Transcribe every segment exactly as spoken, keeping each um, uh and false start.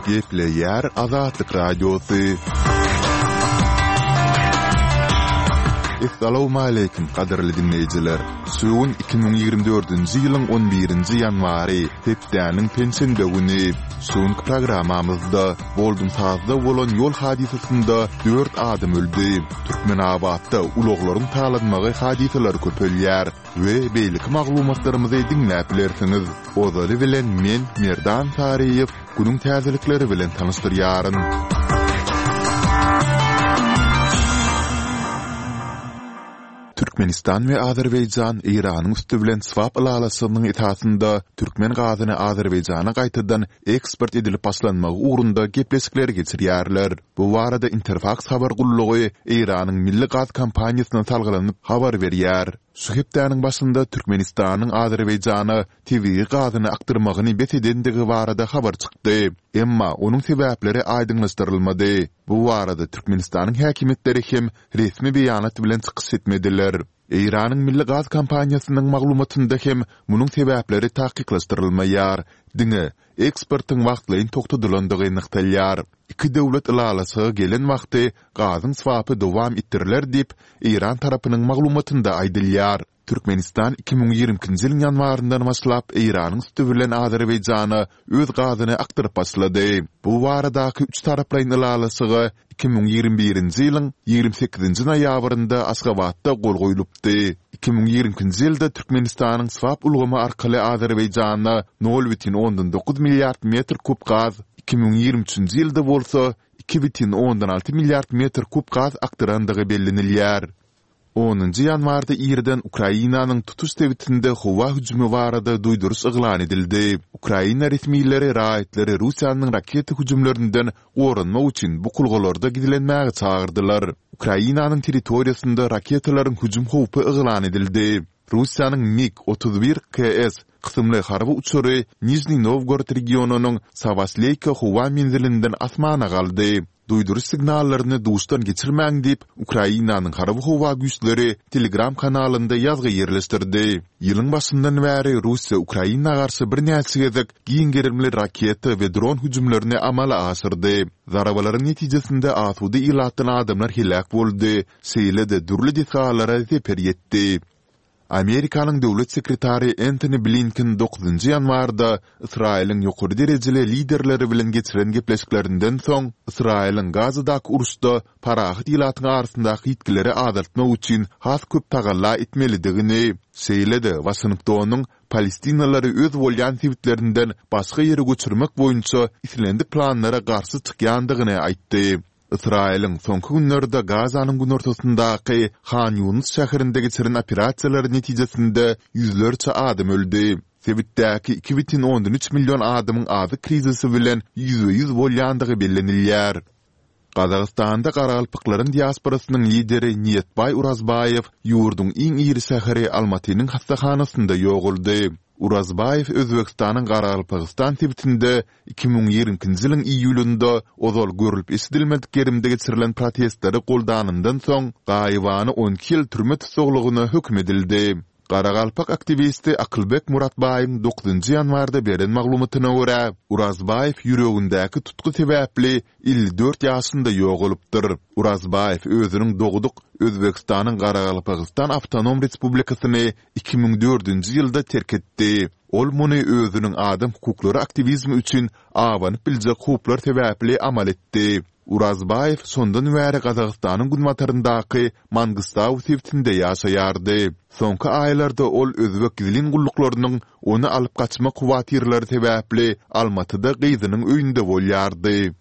Gepleýär Azatlyk Radiosy. Essalawmaleýkim, gadyrly diňleýjiler! Şu gün iki müň ýigrimi dördünji ýylyň on birinji ýanwary, hepdäniň penşenbe güni. Şu günki programmamyzda Boldumsazda bolan ýol hadysasynda dört adam öldi. Türkmenabatda ulaglaryň talanmagy hadysalary köpelýär we beýleki maglumatlarymyzy diňläp bilersiňiz. Ozaly bilen men, Merdan Saryýew, günüň täzelikleri bilen tanyşdyrýaryn. Türkmenistan we Azerbaýjan Eýranyň üsti bilen swap ylalaşygynyň esasynda türkmen gazyny Azerbaýjana gaýtadan eksport edilip başlanmagy ugrunda gepleşikleri geçirýärler. Bu barada Interfaks habar gullugy Eýranyň milli gaz kompaniýasyna salgylanyp habar berýär. Şu hepdäniň başynda Türkmenistanyň Azerbaýjana tebigy gazyny akdyrmagyny bes edendigi barada habar çykdy. Emma onuň sebäpleri aýdyňlaşdyrylmady. Bu barada Türkmenistanyň häkimiýetleri hem resmi beýanat bilen çykyş etmediler. Eýranyň milli gaz kompaniýasynyň maglumatynda hem munuň sebäpleri takyklaşdyrylmaýar, diňe eksportyň wagtlaýyn togtadylandygy nygtalýar. Iki döwlet ylalaşyga gelen wagty gazyň swapy dowam etdiriler diýip, eýran tarapynyň maglumatynda aýdylýar. Türkmenistan iki müň ýigrimi ikinji ýylyň ýanwaryndan başlap Eýranyň üsti bilen Azerbaýjana öz gazyny akdyryp başlady. Bu baradaky üç taraplaýyn ylalaşyga iki müň ýigrimi birinji ýylyň ýigrimi sekizinji noýabrynda Aşgabatda gol goýlupdy. Iki müň ýigrimi ikinji ýylda Türkmenistanyň swap ulgamy arkaly Azerbaýjana nol bütin ondan dokuz milliard metr kub gaz, iki müň ýigrimi üçünji ýylda bolsa iki bütin ondan alty milliard metr kub gaz akdyrandygy bellenilýär. Onunjy ýanwarda irden Ukrainanyň tutuş sebitinde howa hüjümi barada duýduryş yglan edildi. Ukraina resmileri raýatlary Russiýanyň raketa hüjümlerinden goranmak üçin bukulgalarda gizlenmäge çagyrdylar. Ukrainanyň territoriýasynda raketalaryň hüjüm howpy yglan edildi. Russiýanyň MiG otuz bir KS kysymly harby uçary Nižniý Nowgorod regionynyň Sawasleýka howa menzilinden asmana galdy. Duýduryş signallaryny duşdan geçirmäň diýip, Ukrainanyň Harby-howa güýçleri Telegram kanalynda ýazgy ýerleşdirdi. Ýylyň başyndan bäri Russiýa Ukraina garşy birnäçe gezek giň gerimli raketa we dron hüjümlerini amala aşyrdy. Zarbalaryň netijesinde asuda ilatdan adamlar heläk boldy, şeýle-de dürli desgalara zeper ýetdi. Amerikanyň döwlet sekretary Entoni Blinken dokuzynjy ýanwarda Ysraýylyň ýokary derejeli liderleri bilen geçiren gepleşiklerinden soň, Ysraýylyň Gazadaky uruşda parahat ilatyň arasyndaky ýitgileri azaltmak üçin has köp tagalla etmelidigini, şeýle-de Waşingtonyň palestinalylary öz bolýan sebitlerinden başga ýere göçürmek boýunça islendik planlara garşy çykýandygyny aýtdy. Ysraýylyň soňky günlerde Gazanyň günortasyndaky Han Ýunus şäherinde geçiren operasiýalary netijesinde ýüzlerçe adam öldi. Sebitdäki iki bütin ondan üç million adamyň azyk krizisi bilen ýüzbe-ýüz bolýandygy bellenilýär. Gazagystanda garagalpaklaryň diasporasynyň lideri Niýetbaý Urazbaýew ýurduň iň iri şäheri Almatynyň hassahanasynda ýogaldy. Urazbaýew Özbegistanyň Garagalpagystan sebitinde Iki müň ýigrimi ikinji ýylyň iýulynda ozal görlüp-eşidilmedik gerimde geçirilen protestleri goldanyndan soň, gaýybana on iki ýyl türme tussaglygyna höküm edildi. Garagalpak aktiwisti Akylbek Muratbaýyň dokuzynjy ýanwarda beren maglumatyna görä, Urazbaýew ýüregindäki tutgy sebäpli elli dört ýaşynda ýogalypdyr. Urazbaýew özüniň dogduk Özbegistanyň Garagalpagystan awtonom respublikasyny iki müň dördünji ýylda terk etdi. Ol muny özüniň adam hukuklary aktiwizmi üçin abanyp biljek howplar sebäpli amal etdi. Urazbaýew şondan bäri Gazagystanyň günbataryndaky Mangystau sebitinde ýaşaýardy. Soňky aýlarda ol özbek gizlin gulluklarynyň ony alyp gaçmak howatyrlary sebäpli Almatyda gyzynyň öýünde bolýardy.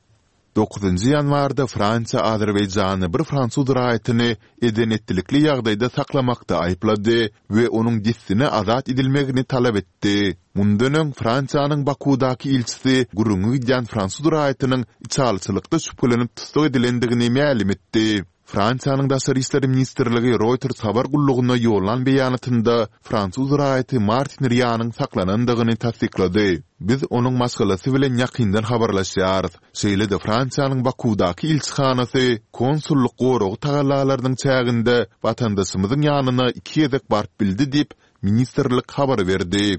Dokuzynjy ýanwarda Fransiýa Azerbaýjany bir fransuz raýatyny eden-etdilikli ýagdaýda saklamakda aýyplady we onuň dessine azat edilmegini talap etdi. Mundan öň, Fransiýanyň Bakuwdaky ilçisi gürrüňi gidýän fransuz raýatynyň içalyçylykda şübhelenip tussag edilendigini mälim etdi. Fransiýanyň Daşary işler ministrligi Reuters habar gullugyna ýollan beýanatynda fransuz raýaty Martin Rianyň saklanandygyny tassyklady. Biz onuň maşgalasy bilen ýakyndan habarlaşýarys, şeýle-de Fransiýanyň Bakuwdaky ilçihanasy konsullyk goragy tagallalarynyň çäginde watandaşymyzyň ýanyna iki gezek baryp bildi diýip, ministrlik habar berdi.